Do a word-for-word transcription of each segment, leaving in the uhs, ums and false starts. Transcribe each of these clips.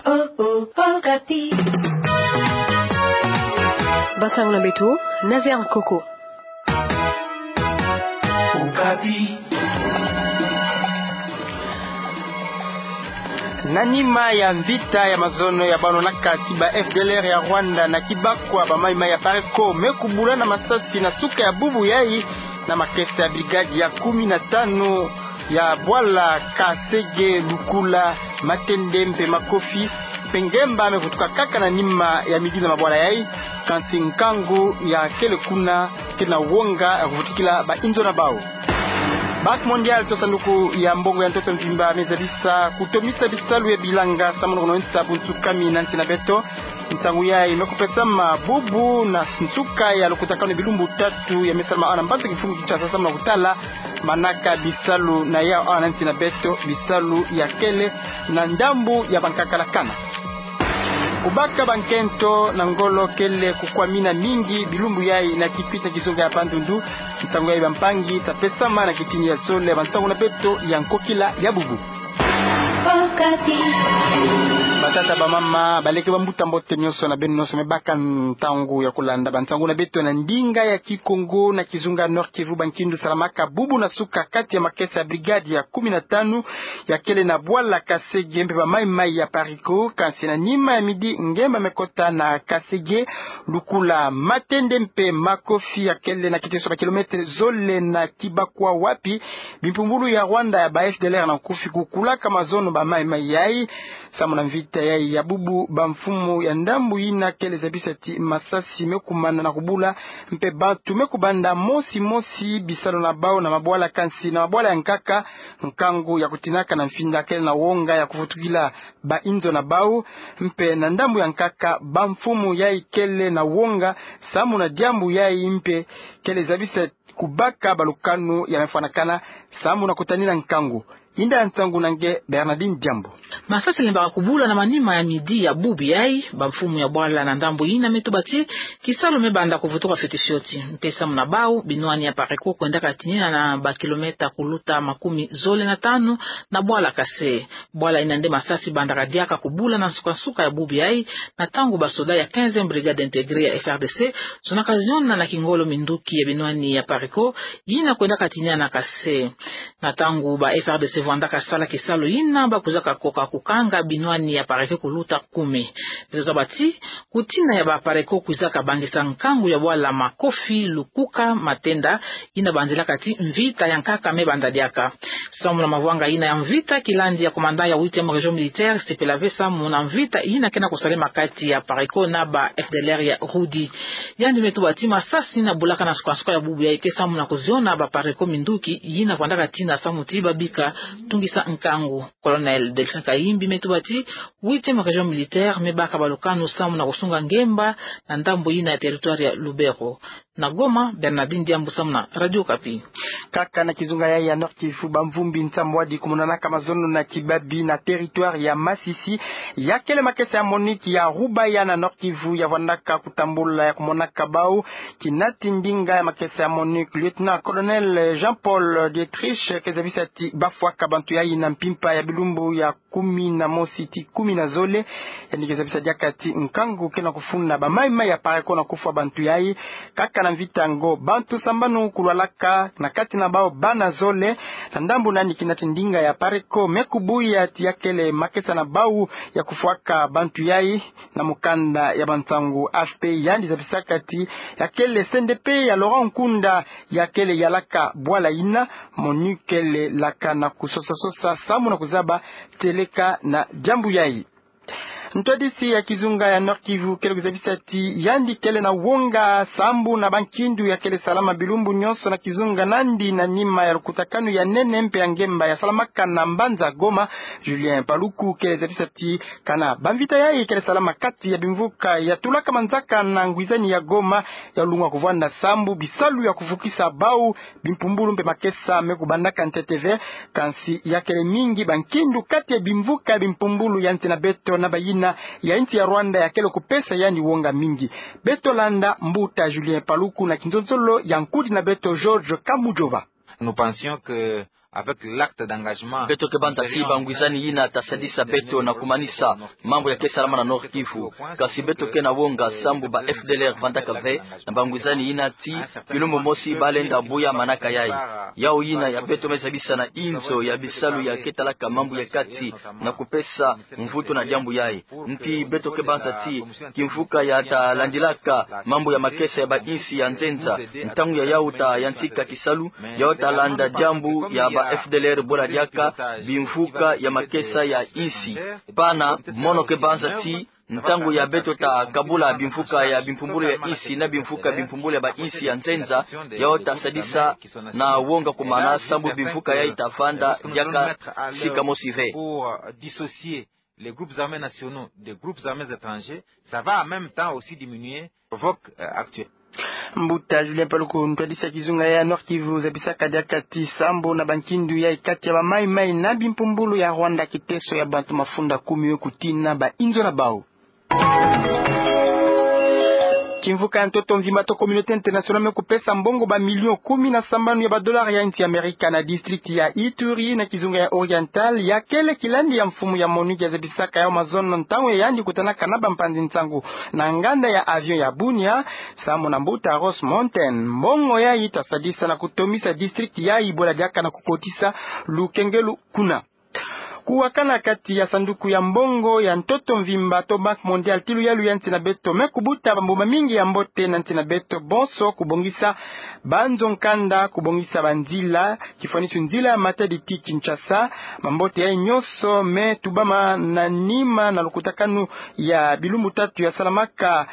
Okapi. Bansangu na beto, Nazaire Nkoko. Okapi. Na nima ya mvita ya mazono ya banonaka ti ba F D L R ya Rwanda na Kibakwa, ba mayi-mayi ya Pareco me kubula na masasi na suka ya bubu yayi na makesa ya brigade ya kumi na tanu ya bwala Kasege, Lukula, Matende mpe Makofi. Mpe ngemba me vutuka kaka na nima ya midi na mabwala yayi, kansi nkangu ya kele kuna, kele na wonga ya kuvutukila ba inzo na bau. Banque Mondiale to sanduku ya mbongo ya ntoto mvimba me zabisa kutomisa bisalu ya bilanga samu na kunonisa buntsukami na nsi na beto. Nsangu yayi me kupesama bubu na nsuka ya lukutakanu ya bilumbu tatu ya me salama awa na mbanza-kifulu Kinshasa samu na kutala manaka bisalu na yawu awa na nsi na beto, bisalu ya kele na ndambu ya bankaka la kana. Kubaka bankento na ngolo kele kukwamina mingi bilumbu yayi na Kikwit na kizunga ya Bandundu. Nsangu yayi bampangi ta pesama na kitini ya zole ya bansangu na beto ya nkokila ya bubu. Okapi. Batata, bamama, baleke, bambuta, mbote nyonso na beno nyonso me baka ntangu ya kulanda bansangu na beto na ndinga ya Kikongo na kizunga Nord-Kivu. Bankindu salamaka bubu na suka kati ya makesa ya brigade ya kumi na tanu ya kele na bwala Kasege mpe ba mayi-mayi ya Pareco, kansi na nima ya midi ngemba me kota na Kasege, Lukula, Matende mpe Makofi ya kele na kiteso ba kilomètre zole na Kibakwa, wapi bimpumbulu ya Rwanda ya ba F D L R na nkufi kukulaka mazono ba mayi-mayi yayi. Samu na mvita yayi ya bubu, bamfumu ya ndambu yina kele zabisa ti masasi me kumana na kubula, mpe bantu me kubanda mosi-mosi bisalu na bau na mabwala, kansi na mabwala ya nkaka, nkangu ya kutinaka na mfinda kele na wonga ya kuvutukila ba inzo na bau. Mpe na ndambu ya nkaka, bamfumu yayi kele na wonga samu na diambu yayi, mpe kele zabisa kubaka balukanu ya me fwanakana samu na kutanina nkangu. Inda ya nsangu na nge Bernardine Diambu. Masasi lembaka kubula na manima ya midi ya bubu yayi. Bamfumu ya bwala na ndambu yina me tuba ti kisalu me banda kuvutuka fioti fioti. Mpe samu na bau, binwani ya Pareco kwendaka tinina na ba kilomètre kuluta makumi zole na tanu na bwala Kasege. Bwala yina nde masasi bandaka diaka kubula na nsuka-nsuka ya bubu yayi, na ntangu basoda ya quinzième brigade intégrée ya F R D C zonaka ziona na kingolo minduki ya binwani ya Pareco yina kwendaka tinina na Kasege. Na ntangu ba F R D C vwandaka sala kisalu yina, bakwizaka koka kukanga binwani ya Pareco kuluta kumi. Beto taba ti kutina ya ba Pareco kwizaka bangisa nkangu ya bwala Makofi, Lukuka, Matende, yina banzilaka ti mvita ya nkaka me banda diaka. Samu na mavwanga yina ya mvita, kilandi ya commandant ya huitième région militaire sepela ve samu na mvita yina ke na kusalema kati ya Pareco na ba F D L R ya Rudi. Yandi me tuba ti masasi yina bulaka na nsuka-nsuka ya bubu yayi ke samu na kuziona ba Pareco minduki yina vwandaka tina samu ti babika tungisa nkangu. Colonel Delphin Kayimbi me tuba ti huitième région militaire me baka balukanu samu na kusunga ngemba na ndambu yina ya territoire ya Lubero. Na Goma, Bernardine Diambu samu na Radio Okapi. Kaka na kizunga yayi ya Nord-Kivu, bamvumbi nsambwadi kumonanaka mazono na kibabi na territoire ya Masisi, ya kele makesa ya MONUC ya Rubaya na Nord-Kivu ya vwandaka kutambula ya kumonaka bau. Kinati ndinga ya makesa ya MONUC, lieutenant-colonel Jean-Paul Dietrich, ke zabisa ti bafwaka bantu yayi na mpimpa ya bilumbu ya kumi na mosi ti kumi na zole. Yandi ke zabisa diaka ti nkangu ke na kufunda ba mayi-mayi ya Pareco na kufwa bantu yayi. Kaka na mvita yango, bantu sambanu kulwalaka, na kati na bau bana zole. Na ndambu nani, kinati ndinga ya Pareco me kubuya ti ya kele makesa na bau ya kufwaka bantu yayi. Na mukanda ya bansangu A F P, yandi zabisaka ti ya kele C N D P ya Laurent Nkunda ya kele yalaka bwala yina. MONUC kele laka na kusosa-sosa samu na kuzaba tieleka na diambu yayi. Ntwadisi ya kizunga ya Nord-Kivu kele kuzabisa ti yandi kele na wonga sambu na bankindu ya kele salama bilumbu nyonso na kizunga nandi na nima ya lukutakanu ya nene mpe ya ngemba ya salamaka na mbanza Goma. Julien Paluku kele zabisa ti kana bamvita yayi kele salama kati ya bimvuka ya tulaka manzaka na ngwizani ya Goma, ya lunga kuvwanda sambu bisalu ya kuvukisa bau bimpumbulu mpe makesa me kubandaka ntete ve. Kansi ya kele mingi bankindu kati ya bimvuka ya bimpumbulu ya nsi na beto na bayina ya nsi ya Rwanda ya kele kupesa yandi wonga mingi. Beto landa mbuta Julien Paluku na kinzonzolo ya nkudi na beto George Kamujova. Nous pensions que avec l'acte d'engagement. Beto ke banza ti bangwizani yina ta sadisa beto na kumanisa mambu ya ke salama na Nord-Kivu. Kasi beto ke na wonga sambu ba F D L R vandaka ve na bangwizani yina ti kilumbu mosi ba lenda buya manaka yayi. Yawu yina ya beto me zabisa na inzo ya bisalu ya ke talaka mambu ya kati na kupesa mvutu na diambu yayi. Nti beto ke banza ti kimvuka ya ta landilaka mambu ya makesa ya ba insi ya nzenza, ntangu ya yawu ta yantika kisalu, yawu ta landa diambu ya ba F D L R bwela diaka bimvuka ya makesa ya insi. Pana, mono ke banza ti ntangu ya beto ta kabula bimvuka ya bimpumbulu ya insi na bimvuka bimpumbulu ya ba insi ya nzenza, yawu ta sadisa na wonga kumana sambu bimvuka yayi ta vanda diaka sika mosi ve. Pour, euh, dissocier les groupes armés nationaux des groupes armés étrangers, ça va en même temps aussi diminuer, provoque, euh, actuel. Mbuta Julien Paluku, ntwadisi ya kizunga ya Nord-Kivu, zabisaka diaka ti sambu na bankindu yayi kati ya ba Mai-Mai na bimpumbulu ya Rwanda, kiteso ya bantu mafunda kumi we kutina ba inzo na bawu. Kimvuka ya ntoto mvimba to communauté internationale me kupesa mbongo ba millions kumi na sambanu ya ba dollars ya insi ya Amerika na district ya Ituri na kizunga ya Oriental, ya kele kilandi ya mfumu ya MONUC ya zabisaka yawu mazono ntangu ya yandi kutanaka na bampanzi nsangu na nganda ya avion ya Bunia, sambu na mbuta Ross Mountain. Mbongo yayi ta sadisa na kutomisa district yayi bwela diaka na kukotisa lukengelu kuna. Kuwakana kati ya sanduku ya mbongo ya ntoto mvimba to Banque Mondiale ti luyalu ya nsi na beto me kubuta bambuma mingi ya mbote na nsi na beto bonso, kubongisa banzo nkanda, kubongisa banzila, kifwanisu nzila ya Matadi ti Kinshasa. Mambote yayi nyonso me tubama na nima na lukutakanu ya bilumbu tatu ya salamaka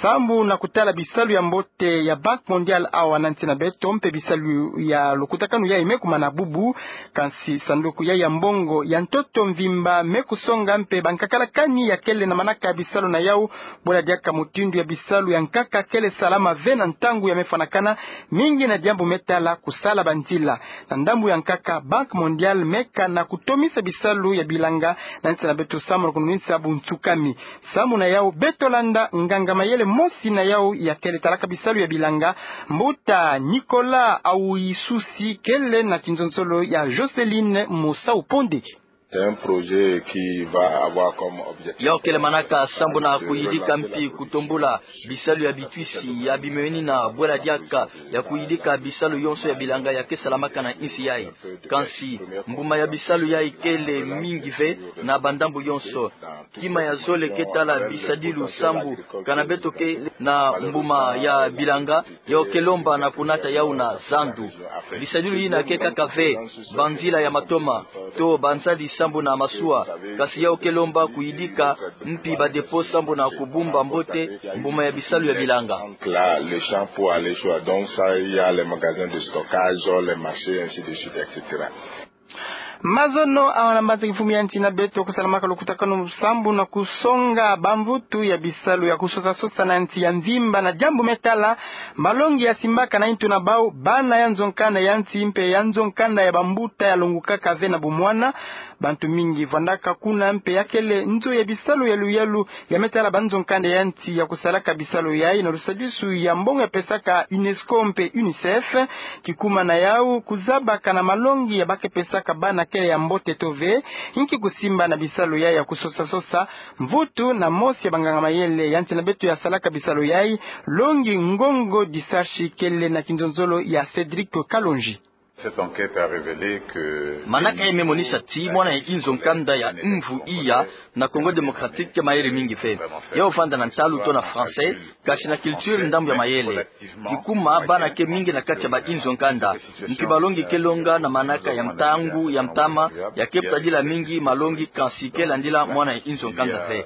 sambu na kutala bisalu ya mbote ya Banque Mondiale awa na nsi na beto, mpe bisalu ya lukutakanu yayi me kumana bubu. Kansi sanduku yayi ya mbongo ya ntoto mvimba me kusonga mpe bankakalakani ya kele na manaka ya bisalu na yawu, bwela diaka mutindu ya bisalu ya nkaka kele salama ve na ntangu ya me fwanakana, mingi na diambu me tala kusala banzila. Na ndambu ya nkaka, Banque Mondiale me kana kutomisa bisalu ya bilanga na nsi na beto sambu na kununisa buntsukami. Sambu na yawu beto landa nganga-mayele mosi na yawu ya kele talaka bisalu ya bilanga, mbuta Nicolas Awuisusi, kele na kinzonzolo ya Jocelyne Musau Ponde. C'est un projet qui va avoir comme objectif. Yawu kele manaka sambu na kuyidika mpi kutombula bisalu ya bitwisi ya bimweni na bwela diaka ya kuyidika bisalu yonso ya bilanga ya ke salamaka na insi yayi. Kansi mbuma ya bisalu yayi kele mingi ve na bandambu yonso. Kima ya zole ke tala bisadilu sambu kana beto ke na mbuma ya bilanga, yawu ke lomba na kunata yawu na zandu. Bisadilu yina ke kaka ve banzila ya matoma to banzadi sambu na masuwa, kasi yawu ke lomba kuyidika mpi ba dépôt sambu na kubumba mbote mbuma ya bisalu ya bilanga. Là, le champ pour aller sur, donc ça, il y a les magasins de stockage, les marchés, ainsi de suite, et cetera. Mazono awa na mbanza kimfumu ya nsi na beto kusalamaka lukutakanu sambu na kusonga bamvutu ya bisalu ya kusosa-sosa na nsi ya mvimba na diambu me tala malongi ya simbaka na intu na bawu, bana ya nzo nkanda ya nsi mpe ya nzo nkanda ya bambuta ya longukaka ve na bumwana. Bantu mingi vwandaka kuna mpe ya kele nzo ya bisalu ya luyalu ya me tala banzo nkanda ya nsi ya kusalaka bisalu yayi na lusadisu ya mbongo ya pesaka UNESCO mpe UNICEF. Kikuma na yawu kuzabaka na malongi ya ba ke pesaka bana kele ya mbote to ve. Inki kusimba na bisalu yayi ya kusosa-sosa? Mvutu na mosi ya banganga-mayele ya nsi na beto ya salaka bisalu yayi, Longi Ngongo Disashi, kele na kinzonzolo ya Cédric Kalonji. Cette enquête a révélé que manaka yayi me monisa ti mwana ya inzo nkanda ya mvu iya na Congo Démocratique ke mayele mingi ve. Yawu vanda na ntalu to na français, kasi na culture ndambu ya mayele. Kikuma bana ke mingi na kati ya ba inzo nkanda, mpi malongi ke longa na manaka ya ntangu ya ntama, ya ke butadila mingi malongi kansi ke landila mwana ya inzo nkanda ve.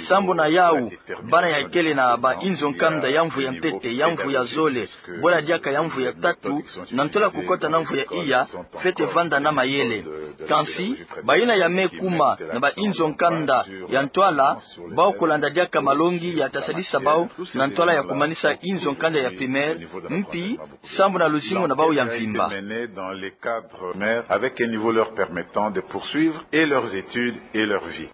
Sambu na yawu, bana ya kele na ba inzo nkanda ya mvu ya ntete, ya mvu ya zole, bwela diaka ya mvu ya tatu, na ntwala kukota na mvu ya iya, fwete vanda na mayele. Kansi bayina ya me kuma na ba inzo nkanda ya ntwala, bawu kulanda diaka malongi ya ta sadisa bawu na ntwala ya kumanisa inzo nkanda ya primaire, mpi sambu na luzingu na bawu ya mvimba. Dans les cadres primaires, avec un niveau leur permettant de poursuivre et leurs études et leur vie.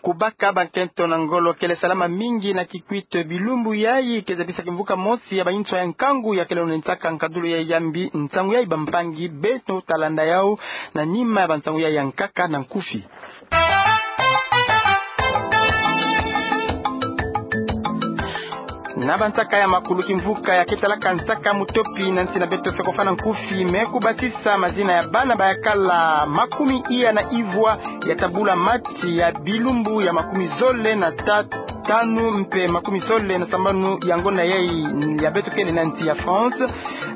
Kubaka bankento na ngolo kele salama mingi na Kikwit bilumbu yayi, ke zabisa kimvuka mosi ya banswa ya nkangu ya kele nantsaka nkadulu yayi ya mbi. Nsangu yayi bampangi beno talanda yau na nima ya bansangu yayi ya nkaka na nkufi. Na bansaka ya makulu, kimvuka ya ke talaka nsaka mutopi na nsi na beto, Fecofa na nkufi, me kubasisa mazina ya bana bayakala makumi iya na ivwa ya tabula match ya bilumbu ya makumi zole na ta- tanu mpe makumi zole na sambanu ya ngonda yayi ya beto kele na nsi ya France.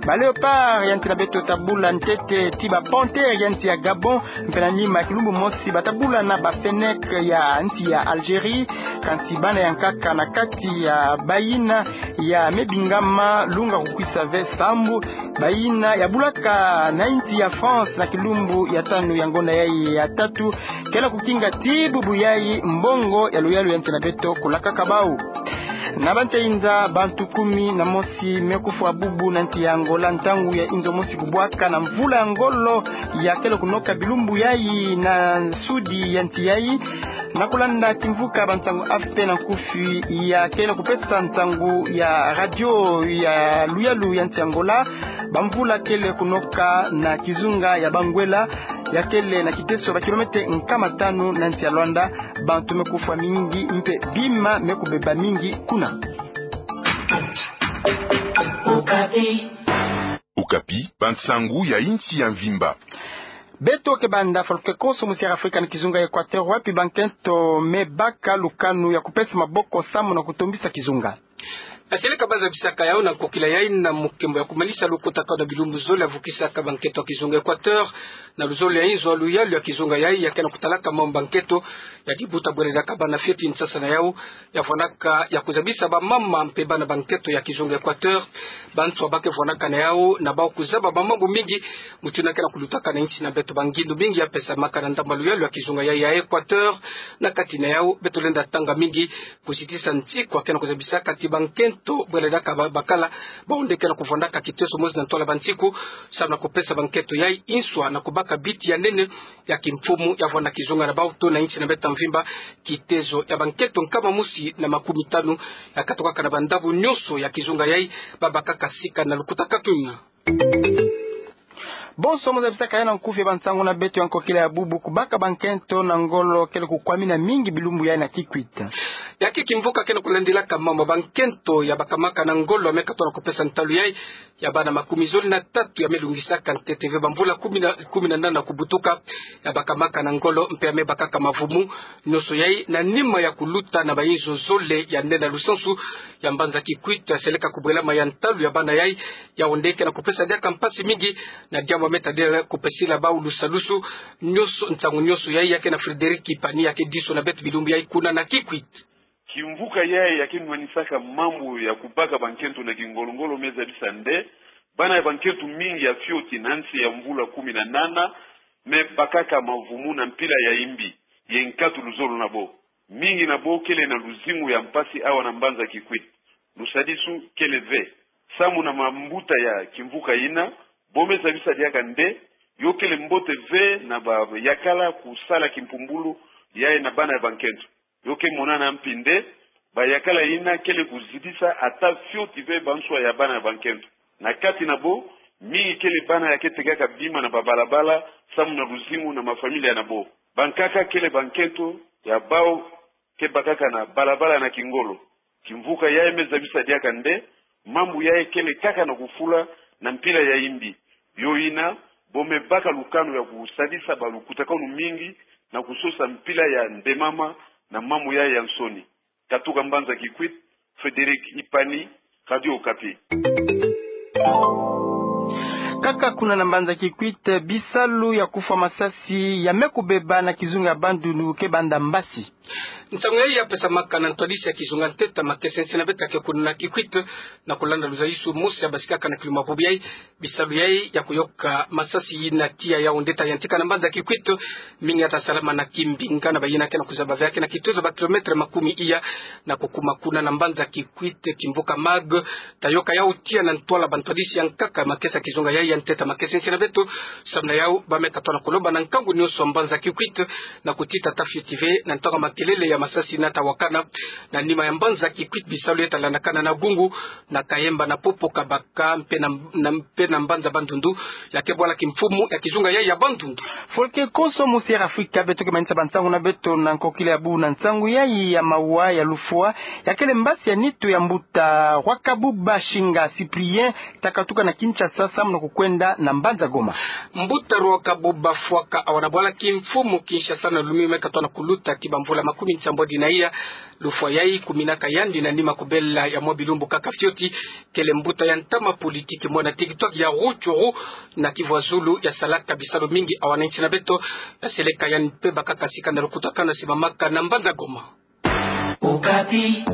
Ba Léopards ya nsi na beto tabula ntete ti ba Panthères ya nsi ya Gabon, mpe na nima ya kilumbu mosi batabula na ba Fennecs ya nsi ya Algérie. Kansi bana ya nkaka na kati ya bayina ya mebingama lunga kukwisa ve sambu, bayina ya bulaka na nsi ya France na kilumbu ya tanu ya ngonda yayi ya tatu, kele kukinga ti bubu yayi mbongo ya luyalu ya nsi na beto kulakaka bau. Na bantia inza, bantu kumi na mosi me kufwa bubu na nsi ya Angola ntangu ya inzo mosi kubwaka na mvula ya ngolo ya kele kunoka bilumbu yayi na sudi ya nsi yayi. Na kulanda kimvuka bansangu A F P na nkufi ya kele kupesa nsangu ya radio ya luyalu ya nsi ya Angola, bamvula kele kunoka na kizunga ya Banguela, ya kele na kiteso ba kilomètre nkama tanu na nsi ya Luanda. Bantu me kufwa mingi mpe bima me kubeba mingi kuna. Okapi, bansangu ya insi ya mvimba. Beto ke banda fwaluke konso musi ya Afrika na kizunga ya Equateur, wapi bankento me baka lukanu ya kupesa maboko samu na kutombisa kizunga. Na seleka baza bisaka yau na nkokila yayi na mukembo ya kumanisa lukutakanu na bilumbu zole ya vukisaka bankento ya kizunga Equateur, na luzolo ya inzo ya luyalu ya kizunga yayi ya kele kutalaka mambu bankento ya dibuta bwele diaka bana fioti nsasa na yau ya vwanaka ya kuzabisa bamama mpe bana bankento ya kizunga Equateur. Banswa ba ke vwanaka na yau na bau kuzaba bamambu mingi, mutindu na kele kulutaka na insi na beto. Bangindu mingi ya pesamaka na ndambu ya luyalu ya kizunga yayi ya Equateur. Na kati na yau beto lenda tanga mingi kuzitisa nsiku ya kele kuzabisaka ti bankento bwele diaka ba- bakala, bau nde kele kuvwandaka kiteso mosi na ntwala bansiku, samu na kupesa bankento yayi nswa na kubaka biti ya nene ya kimfumu ya vwanda kizunga na bau to na insi na beto ya mvimba. Kitezo ya bankento nkama mosi na makumi tanu ya katokaka na bandambu nyonso ya kizunga yayi, babakaka sika na lukutakanu. Bonso mo zabisaka yau na nkufi ya bansangu na beto ya nkokila ya bubu, kubaka bankento na ngolo kele kukwamina mingi bilumbu yayi na Kikwit. Ya ke kimvuka kele kulandilaka mambu bankento ya bakamaka na ngolo ya me katwa na kupesa ntalu yayi ya bana makumi zole na tatu ya me lungisaka ntete ve bamvula kumi na, kumi na nana kubutuka, ya bakamaka na ngolo mpe ya me bakaka mavumu. Nyonso yayi na nima ya kuluta na bainzo zole ya nene na lusansu ya mbanza Kikwit, ya seleka kubwelama ya ntalu ya bana yayi, yau nde kele kupesa diaka mpasi mingi, na diambu ya me tadila kupesila bau lusalusu. Nyonso, nsangu nyonso yayi ya ke na Frédéric Kipani, ya ke diso na beto bilumbu yayi kuna na Kikwit. Kimvuka yayi ya ke nwanisaka mambu ya kubaka bankento na kingolo-ngolo me zabisa nde bana ya bankento mingi ya fioti na nsi ya mvula kumi na nana me bakaka mavumu na mpila ya imbi ye nkatu luzolo na bo. Mingi na bo kele na luzingu ya mpasi awa na mbanza Kikwit. Lusadisu kele ve. Samu na mambuta ya kimvuka yina, bo me zabisa diaka nde yo kele mbote ve na bayakala kusala kimpumbulu yayi na bana ya bankento. Yo ke monana mpi nde bayakala yina kele kuzitisa ata fioti ve banswa ya bana ya bankento. Na kati na bo, mingi kele bana ya ke tekaka bima na babalabala samu na luzingu na mafamilia na bo. Bankaka kele bankento ya bau ke bakaka na balabala na kingolo. Kimvuka yayi me zabisa diaka nde mambu yayi kele kaka na kufula na mpila ya imbi. Yo yina, bo me baka lukanu ya kusadisa balukutakanu mingi na kusosa mpila ya ndemama na mambu yayi ya nsoni. Katuka mbanza Kikwit, Frédéric Ipani, Radio Okapi. Kaka kuna na mbanza Kikwit, bisalu ya kufwa masasi ya me kubeba na kizunga ya Bandundu ke banda mbasi. Nsangu yayi ya pesamaka na ntwadisi ya kizunga ntete ya makesa nsi na beto ya ke kuna na Kikwit, na kulanda luzayisu mosi ya basikaka na kiluma bubu yayi. Bisalu yayi ya kuyoka masasi yina tiya yau nde ta yantika na mbanza Kikwit. Mingi ya ta salama na Kimbinga na bayina ke na kuzaba ve ya ke na kitezo ba kilomètre makumi iya na kukuma kuna na mbanza Kikwit. Kimvuka mag ta yoka yau tiya na ntwala bantwadisi ya nkaka makesa kizunga yayi ya ntete ya makesa nsi na beto. Samu na yau ba me katwa na kulomba na nkangu nyonso ya mbanza Kikwit na kutita ata fioti ve na ntwala Kelele ya masasi nata wakana na nima ya mbanza Kikwit bisalu ye ta landakana na Gungu, na Kayemba, na Popo, Kabaka mpe na, na, mpe na mbanza Bandundu, ya kebwala kimfumu ya kizunga yayi ya Bandundu. Folke konso, mosi Air Afrika, beto ke manisa bansangu na beto na nkokila ya bubu na nsangu yayi ya mawa ya lufwa ya kele mbasi ya nitu ya mbuta Rwakabuba Shinga Cyprien, ta katuka na Kinshasa samu na kukwenda na mbanza Goma. Mbuta Rwakabuba Fwaka awa na bwala kimfumu Kinshasa na lumini me katona kuluta ki bamvula makumi nsambwadi na iya. Lufwa yayi kuminaka yandi na nima kubela ya mwa bilumbu kaka fioti. Kele mbuta ya ntama politiki mwana TikTok ya Rutshuru na kivwa zulu ya salaka bisalu mingi awa na nsi na beto. Na seleka yandi mpe bakaka sika na lukutakanu simamaka na mbanza Goma. Okapi.